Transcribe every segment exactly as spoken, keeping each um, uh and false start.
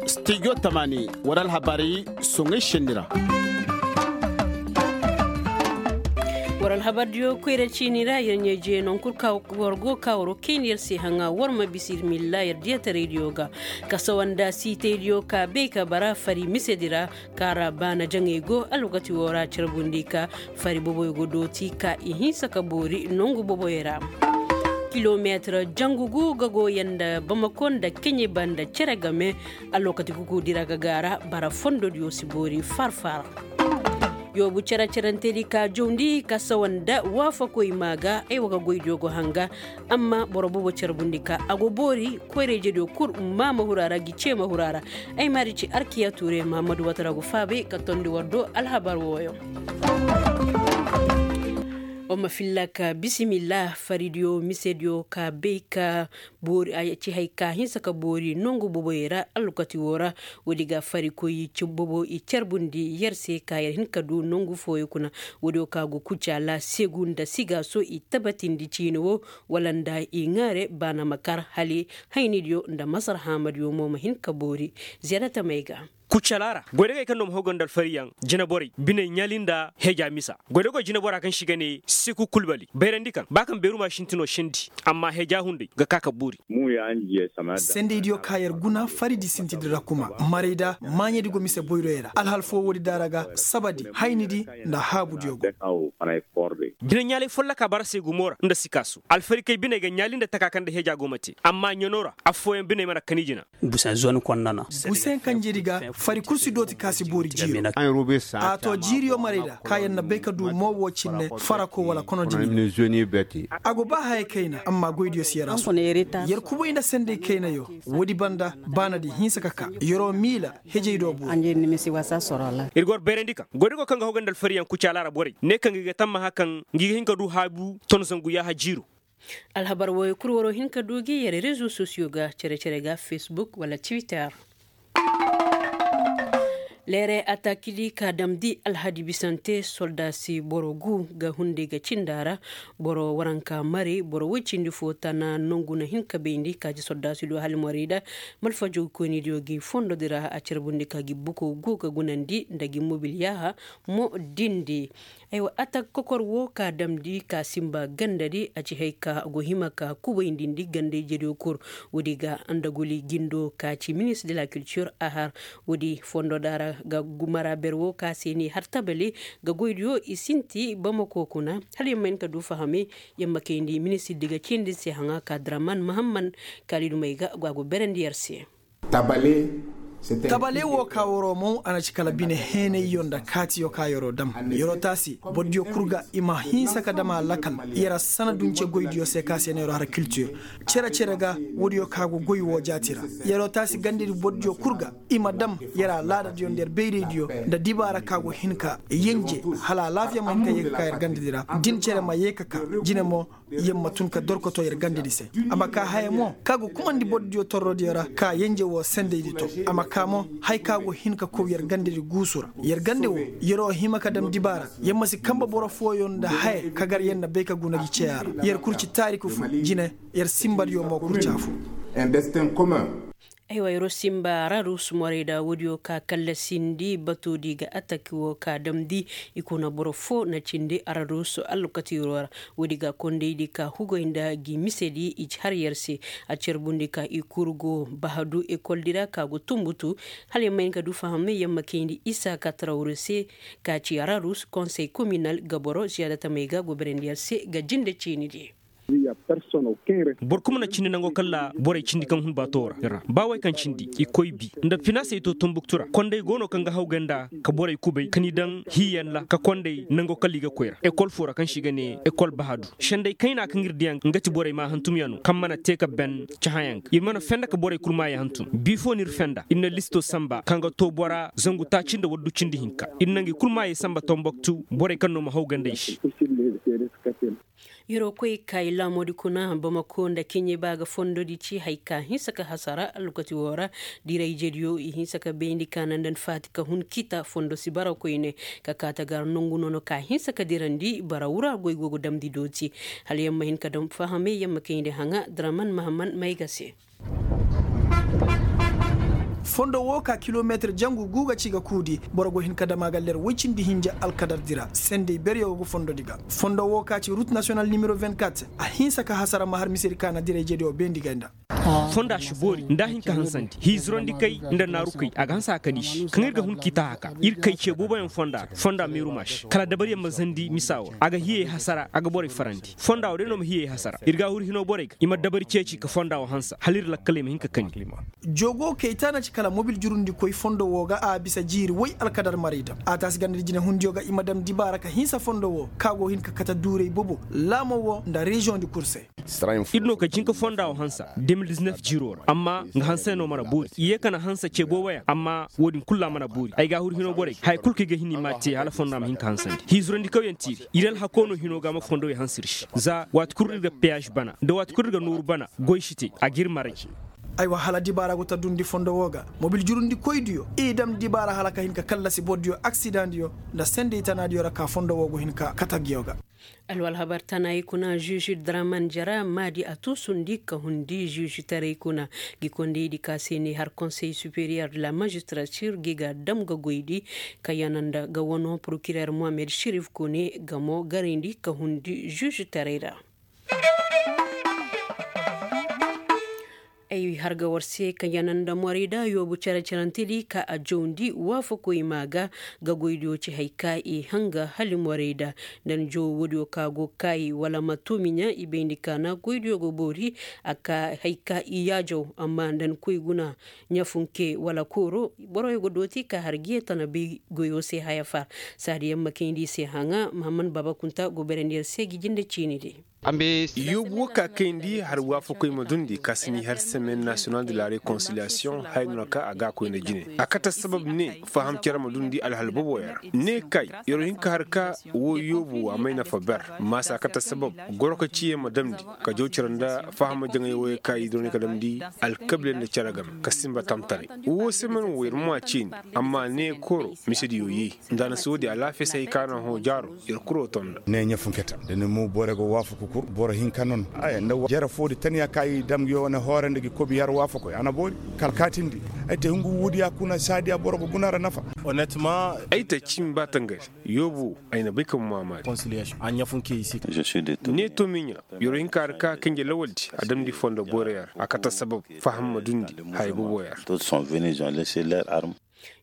Stijo tamaani war alhabaari soŋay sendi ra. War alhabaaridiyo koyra ciini ra yer ɲaa-ije naŋ kul ka war go ka waro kayndi yer se haŋa war ma bisa ir milla yer diya taraydiyo ga, ka sawa nda siitaydiyo ka bay ka bara fari misedi ra. Kaara baana jaŋey go alwakati woo ra carbundi ka fari boboyo go dooti ka i hinsa ka boori nongu boboyo ra. Kilomeetir jangu gu ga goyanda bamako nda keɲe banda cere game. Alwakati kuku dira ga gaara bara fondodiyo si boori farfara. Yoobu cere cerentedi ka jawndi ka sawa nda waafakoy maa ga ay wa ga goydiyo go hanga. Amma boro boobo carbundi ka a go boori koyra-ijediyo kul maama hura ra gi ceema hura ra. Ay maari ci arkiya tuure mahammadu watara go faabay ka tondi war do alhabar wooyo. Wa ma filla ka bisimilla faridiyo misediyo ka bay ka boori a ci hay ka hinsa ka boori nongu boboyey ra alwakati woo ra. Woodi ga farikoy ci bobo i carbundi yer se ka yer hin ka du nongu fooyo kuna. Woodiyo ka go kucaala segu nda sigaaso i tabatindi ciini woo wala nda i ŋaare baana ma kar hali haynidiyo nda masar haamadiyo mo ma hin ka boori. Ziyarata may ga. Kucala ra goydagey kaŋ no ma haw ga nda alfariyaŋ jineborey biney ɲaali nda heja misa. Goydagey jinebora kaŋ se i ga ne seku kulbali bayrandi kaŋ ba kaŋ beeruma sintinoo sendi amma heja hunday ga ka ka boori. Sendaydiyo ka yer guna faridi sintidi ra kuma marayda maaɲedi go mise boyroyey ra alhal foo woodi daara ga sabadi haynidi nda haabudiyo go. Bine ɲaalay folloka bara se gumo ra nda sikaasu alfarikey biney ga ɲaali nda taka kaŋ nda heja go ma te amma ɲanoo ra affooyaŋ biney mana kani jina. Busen kanjedi ga fari kul si dooti ka si boori jiiro. A to jiiriyo marayda ka yer na bay ka du mo wo cinne farako wala konodini. A go ba hayey kayna amma goydiyo si yer a su yer kubay nda sendey kaynayo. Woodi banda baanadi hinsa ka ka yeroo miila hejey do boori. Ir ga war bayrandi kaŋ goydigo kaŋ ga haw ga nda alfariyaŋ kucaala ra borey ne kaŋ ga i ga tammaha kaŋ ngi ga hin ka du haabu ton zangu yaaha jiiro. Alhabar wooyo kul waroo hin ka du gi yer rezo sosiyo ga cere-cere ga fesbuk wala twitter. Leere atakidi ka damndi alhadi bisante soldaasi boro gu ga hunday ga cinda ra. Boro waranka mari boro woy cindi foo tana nongu na hin ka bayndi ka ci soldaasi do hali morayda. Malfajo koynidiyo gi fondodi ra a carbundi ka gi buko gu ga gunandi nda gi mobil yaaha mo dindi. Aywa atak kokor woo ka damndi ka sinba gandadi a ci hay ka go hima ka kubayndindi gandayjediyo kul. Woodi ga andaguli jindo ka ci ministre de la culture a har woodi fondoda ra ga gumara ber woo ka se ni har tabali ga goydiyo i sinti bamako kuna. Hala yer ma hin ka du fahamay yer ma kayndi ministirdi ga cindi se haŋa ka draman mahamman. Kaalidumey ga go a go berandi yer se. Tabale woo ka waroo moŋ a na ci kala bine heenayyo nda kaatiyo ka yeroo dam. Yeroo taasi bordiyo kul ga i ma hinsa ka dam a lakal. Yer a sana dunce goydiyo se ka se na yeroo har kiltir. Cere-cere ga woodiyo ka go goy woo jaati ra. Yeroo taasi gandedi bordiyo kul ga i ma dam yer alaadadiyo nda yer bayraydiyo nda dibaara ka go hin ka yenje hala alaafiya ma hin ka yee ka ka yer gandedi ra. Din cere ma yee ka ka jine mo yer ma tun ka dorkoto yer gandedi se. A ma ka haya mo ka go kumandi borodiyo torrodiyo ra ka yenje woo sendaydi to. A ma ka mo haya ka go hin ka kow yer gandedi guusu ra. Yer gande woo yeroo hima ka dam dibaara. Yer ma si kanba boro fooyo nda haya ka gar yer na bay ka guna gi ceya ra. Yer kul ci taariku fo jine. Yer sinbadiyo mo kul ci afo. Aywa yeroo sinba rarus morayda woodiyo ka kallasindi batoodi ga ataki woo ka damndi. I kuna boro foo na cindi ararus alkatiiroo ra. Woodi ga kondaydi ka hugoy nda gi misedi i ci har yer se. A carbundi ka i kul go bahadu ekoldi ra ka go tumbutu. Hala yer ma hin ka du fahamay yer ma kayndi isa ka tarawru se ka ci ararus konsey kominal ga boro ziyaadatamey ga go berandi yer se ga jinde ciinidi. Boro kul mana cindi nango kalla borey cindi kaŋ hun baato ra. Ba wey kaŋ cindi i koy bi nda finaasey to tumbuktu ra kondey go no kaŋ ga haw ganda ka borey kubay ka ni daŋ hiiyaŋ ra ka kondey nango kalla i ga koy ra ekol foo ra kaŋ se i ga ne ekol bahadu. Senday kayna kaŋ ir diyaŋ nga ti borey ma hantumyaŋ no kaŋ mana te ka ben cahayaŋ ga ir mana fenda ka borey kul maayey hantum bi foo no ir fenda ir na listo samba kaŋ ga to bora zangu taaci nda waddu cindi hinka ir na ngi kul maayey samba tomboktu borey kaŋ no ma haw ganda i se. Yeroo koy kaayi laamoodi kuna bamako nda kiɲe ba ga fondodi ci haya ka hinsa ka hasara alwakati woo ra. Dirayjediyo i hinsa ka bayndi ka na nda ni faati ka hun kita fondo si bara koyne ka kaata gar nongu nono ka hinsa ka dirandi bara wura goy go ga damndi dooti. Hala yer ma hin ka dam fahamay yer ma kayndi haŋa draman mahaman may ga se. Fondo woo ka kilomeetir jangu guu ga ci ga kuudi boro go hin ka dam a ga ler woy cindi hinja alkadar dira sendey beryo go ga fondodi ga. Fondo woo ka ci rut nasiyonal nimero vingt-quatre a hinsa ka hasara ma har misedi ka na dirayjediyo beendi gay nda. Fonda si boori nda a hin ka hansandi hiizurandi kay nda naaru kay a ga hanse a kani si kaŋ ir ga hun k'i taahaka ir kay ce booboyaŋ fonda ra fonda meeru maasi kala dabariyaŋ ma zandi misa woo ra a ga hiyey hasara a ga borey farandi fonda woo day no ma hiyey hasara ir ga a huru hinoo borey ga i ma dabari ceeci ka fonda woo hansa hala ir lakkaley ma hin ka kani. Joogoo kay taana ci kala mobil jurundikoy fondo woo ga a bisa jiiri woy alkadar maray dam a taasi ganda di jinehundiyo ga i ma dam dibaara ka hinsa fondo woo ka go hin ka kate duuray bobo laamo woo nda reziyoŋ di kul se. Ir no ka jinka fonda woo hansa de mil diznef jiiroo ra amma nga hanse no mana boori i yee ka na hansa ce booboyaŋ amma woo din kul ra mana boori ay ga a huru hinoo borey ga haya kul kaŋ i ga hin i m'a te hala fonda ma hin ka hansandi hiizurandikawyaŋ tiiri ir alhakoo no hinoo ga a ma fondowey hanse ir se za waati kul ir ga peyaz bana nda waati kul ir ga nooru bana goy si te a g'ir maray. Aywa hala dibaara go ta dundi fondo woo ga mobil jurundikoydiyo i dam dibaara hala ka hin ka kallasi bordiyo aksidaŋdiyo nda sendey tanaadiyo ra ka fondo woo go hin ka kate nguyo ga. Alwalhabar tanayi kuna žuž draman jara maadi a tuusundi ka hundi žužtaray kuna. Gi kondaydi ka se ni har konsey superiyer de la mažistratir gi ga dam ga goydi ka yana nda ga wano prokirer mohamed šerif kone ga mo garayndi ka hundi žužtaray ra. Ay har ga war se ka yana nda morayda yoobu cere-cerentedi ka a jawndi waafakoy maa ga ga goydiyo ci hay ka i hanga hala morayda nda ni jawo woodiyo ka go kaayi wala ma toomiɲa i bayndi ka na goydiyo ga boori a ka hay ka i yaajaw amma nda ni koy guna ɲafunke wala kooro boroyo ga dooti ka har giye tana bay goyo se haya fa saadiyaŋ ma kayndi i se haŋa mahammad baaba kunta go berandi yer se gi jinde ciini di. Yoobu wo ka kayndi har waafakoy ma dundi ka si ni har semaine national de la réconciliation haya no ra ka a ga a koy nda jine a kate sabab ne faham cere ma dundi alhal boboyaŋ ra ne kay yer wo hin ka har ka wo yoobu a may nafa ber maasa a kate sabab goro ka ciye ma damndi ka jaw cere nda faham jaŋay woyey ka i doonay ka damndi alkabiiley nda cere game ka sinba tamtaray wo semaine wo yer ma a ciini amma ne kooro misediyo yee nda a na si woodi alaafiya se hay ka na hõ jaaro yer kuro tonda. Ne ɲafunketa da ni mo boro ga waafaku kul boro hinka no no aya nda jere foodi taniya ka i dam yo wane hoore nda gi kobi har waafakoy a na boori kala kaatindi ay te hungu wuudiya kuna saadiya boro ga guna ra nafa. Ay te cimi ba tangari yoobu ay na bay ka ma maamaari. Ne to miɲa yer wo hinka har ka kanje lawaldi a damndi fondo boroyaŋ ra a kate sabab faham ma dundi haya boboyaŋ ra.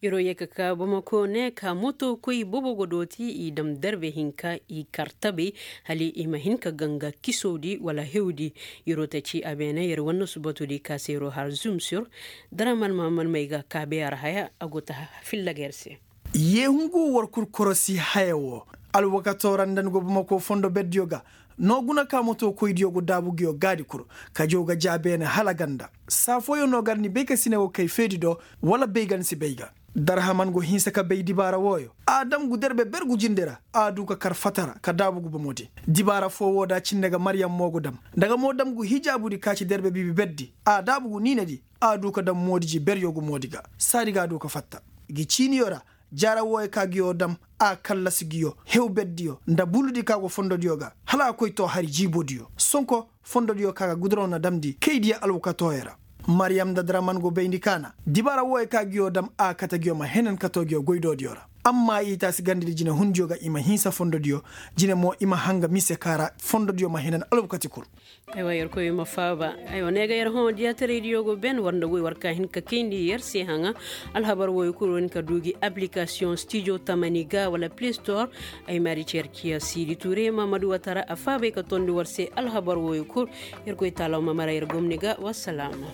Yeroo yee ka kaa bamako ne ka moto koy boobo go dooti i dam darbe hinka i kar tabay hala i ma hin ka ganga kisowdi wala hewdi. Yeroo ta ci a beene yer wane subatudi ka se yeroo har zumsur daraman mahammad may ga kaabeyaŋ ra haya a go ta filla ga yer se. Yee hungu war kul korosi haya woo alwakatoo ra nda ni go bamako fondo berdiyo ga noo guna ka moto koydiyo go daabu nguyo gaadi kul ka jaw ga jaa beene hala ganda saa fooyaŋ no gar ni bay ka si ne wo kay feedi do wala bay ga ni si bay ga. Darhaman go hinsa ka bay dibaara wooyo a dam gu derbe ber gu jinde ra a du ka kar fatara ka daabu gu bomo di. Dibaara foo woo da cindi ga maryam mo go dam nda ga mo dam gu hijaabudi ka ci derbe bibi berdi a daabu gu niinedi a du ka dam moodiji beryo gu moodi ga saadi ga a du ka fatta. Gi ciiniyo ra jaara wooyo ka nguyo dam a kallasi nguyo hew berdiyo nda buludi ka go fondodiyo ga hala a koy too hari jiibodiyo sonko fondodiyo ka ga guduraw na damndi kaydiyo alwakatooyo ra. Maryam nda draman go bayndi ka na dibaara wooyo ka nguyo dam a kate nguyo ma henan katoo nguyo goydoodiyo ra amma i taasi gandadi jinehundiyo ga i ma hinsa fondodiyo jine mo i ma hanga mise ka ra fondodiyo ma henan alwakati kul. Aywa yerkoy ma faaba. Aywa ne ga yer hõ diyataraydiyo go ben war nda goy war ka hin ka kayndi yer se haŋa. Alhabar wooyo kul war hin ka du gi aplikasiyoŋ stijo tamani ga wala play store. Ay maari ci yer ciya siidi tuure mahamadu watara a faabay ka tondi war se alhabar wooyo kul. Yerkoy taalaw ma mara yer gomni ga wassalaama.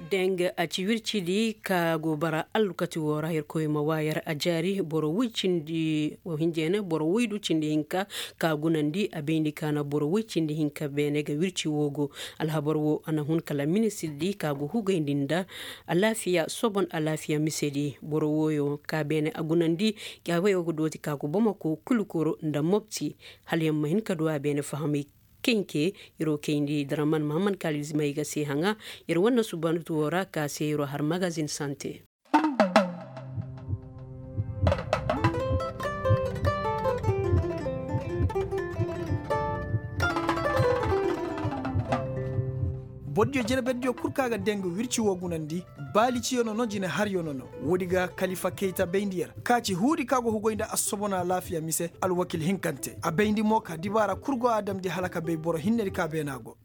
Deng. A ci wircidi ka go bara allukati woo ra yerkoy ma waa yer a jaari boro woy cindi wo hinjeene boro woydu cindi hinka ka gunandi a bayndi ka na boro woy cindi hinka beene ga wirci woo go. Alhabar woo a na hun kala ministirdi ka go hugayndi nda alaafiya sobon alaafiya misedi boro wooyo ka beene a gunandi. Gaabayo ga dooti ka go bamako kulukoro nda mopti hala yer ma hin ka du a beene fahamay. Kenke yer wo kayndi draman mahammad kaalidi may ga se haŋa. Yer wane subanatu woo ra ka se yer wo har magazin sante. Bordiyo jerbediyo kul ka ga dee nga wirci woo gunandi. Baali ciyo nono jine haryo nono. Woodi ga kalifa kayta bayndi yer ka ci huudi ka go hugoy nda assobona laafiya mise alwakil hinkante a bayndi mo ka dibaara kul go a damndi hala ka bay boro hinnedi ka beenaa go.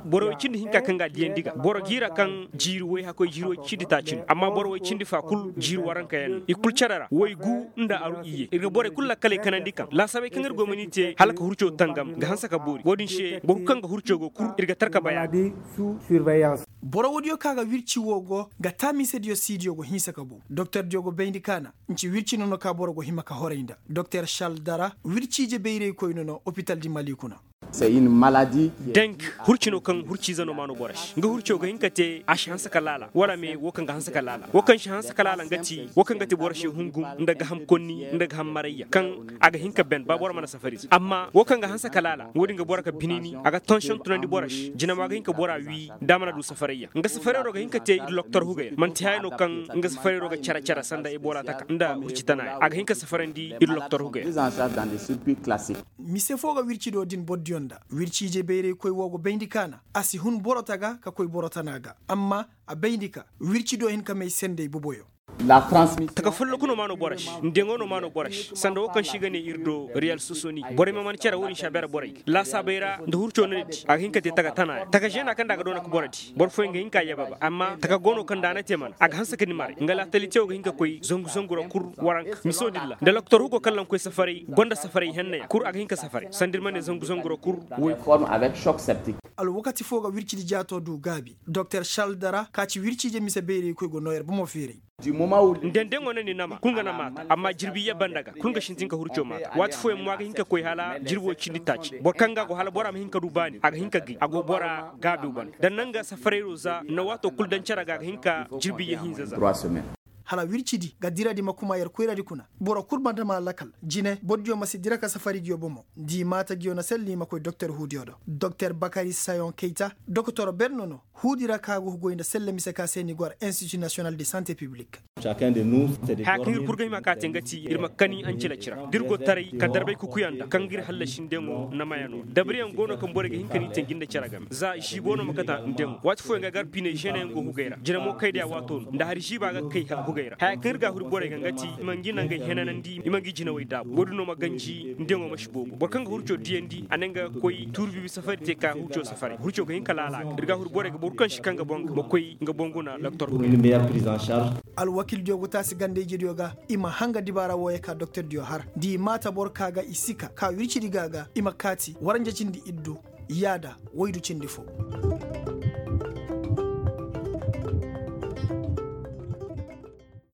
Boro woy cindi hinka kaŋ ga a diyandi ga boro jiira kaŋ jiiri woy hakkoy jiiri woy cindi taaci no amma boro woy cindi fa kul jiiri waranka yaŋ no i kul cere ra woy gu nda aru iyye ir ga borey kul lakkaley kanandi kaŋ laasaabey kaŋ ir go ma ni te hala ka hurco tangam ga hanse ka boori wo-din se boro kul kaŋ ga hurco go kul ir ga tar ka bay a ga. Boro woodiyo ka ga wirci woo go ga taaminse diyo siidiyo go hinsa ka bow doktor diyo go bayndi kaana. Nci wirci nono ka boro go hima ka horay nda doktor saldara wirci ije bayraykoy nono opital di mali kuna. Dank hurci no kaŋ hurci ize no maano boro se nga hurco ga hin ka te a si hanse ka laala wala me wo kaŋ ga hanse ka laala wo kaŋ si hanse ka laala nga ti wo kaŋ ga ti boro se hungum nda ga ham konni nda ga ham marayya kaŋ a ga hin ka ben ba boro mana safari ize amma wo kaŋ ga hanse ka laala wo- din ga boro ka binini a ga tansiyoŋ tunandi boro se jinama ga hin ka bora wii da a mana du safarayya nga safarayro ga hin ka te ir loktor hugay ra man'ti haya no kaŋ nga safarayro ga care care sanda ebola taka nda hurci tana ya a ga hin ka safarandi ir loktor hugay ra. Mise fo ga wircido din bordiyo nda wirci ije bayraykoy wo go bayndi kaana a si hun boro taga ka koy boro tana ga amma a bayndi ka wircido hin ka may sendey boboyo. Taka folloku no maano boro se ndeŋo no maano boro se sanda wo kaŋ se i ga ne ir do riyal sosoni borey ma man care wo-din se a beera borey ga laasaabey ra nda hurco no ni di a ga hin ka te taka tana ra taka zeena kaŋ nda a ga doona ka boro di boro fooyaŋ ga hin ka a yababa amma taka go no kaŋ nda a na te mana a ga hanse ka ni maray nga laatalitewo ga hin ka koy zangu zangu ra kul waranka miso dilla nda loktor hugo kaŋ lankoy safaray gonda safaray henna yaŋ kul a ga hin ka safaray sanda ir ma ne zangu zangu ra kul. Woy. Alwakati fo ga wircidi jaato du gaabi doktor saldara ka ci wirci ije mise bayraykoy go noo yer bomo feeray. Ndendeŋo na ni nama kul nga na maata amma jirbi yee banda ga kul nga sintin ka hurco maata waati fooyaŋ mo a ga hin ka koy hala jirbo cindi taaci boro kaŋ ga a go hala bora ma hin ka du baani a ga hin ka gay a go bora gaabiw banda da naŋ ga safarayro za na waato kul daŋ cere ga a ga hin ka jirbi yee hinza za. Hala wircidi ga diradi ma kuma yer koyradi kuna boro kul ma dama lakal jine bordiyo ma si dira ka safari ngiyo bomo nda i maata ngiyo na selli i ma koy doktor huudiyo do doktor bakari sayon kayta doktor berno no huudi ra ka go hugoy nda selle mise ka se ni go har institut national de sante publik. Haya kaŋ ir kul ga hima ka te nga ti ir ma kani ancila cira da ir go taray ka darbay kukuyaŋ nda kaŋ ga ir hallasi ndeŋo na mayano dabariyaŋ go no kaŋ borey ga hin ka ni te ngi nda cere game za ziibo no ma kata ndeŋo waati fooyaŋ ga gar piiney žene yaŋ go hugay ra jina mo kay day a waato no nda hari ziiba ga kay hugay ra haya kaŋ ir ga a huri borey ga nga ti i ma ngi nangey henanandi i ma ngi jinawey daabu wo-din no ma ganji ndeŋo ma si boobo boro kaŋ ga hurco diyandi a ne nga ga koy tuuri biibi safari te ka hurco safari hurco ga hin ka laala a ga ir ga a huri borey ga boro kaŋ si kaŋ ga boŋ ga ma koy nga boŋ guna doktor. Alwakildiyo go taasi ganda-ijediyo ga i ma hanga dibaara wooyo ka doktordiyo har da i maata boro ka ga i si ka ka wircidi ga ga i ma kaati waranja cindi iddu yaada waydu cindi fo.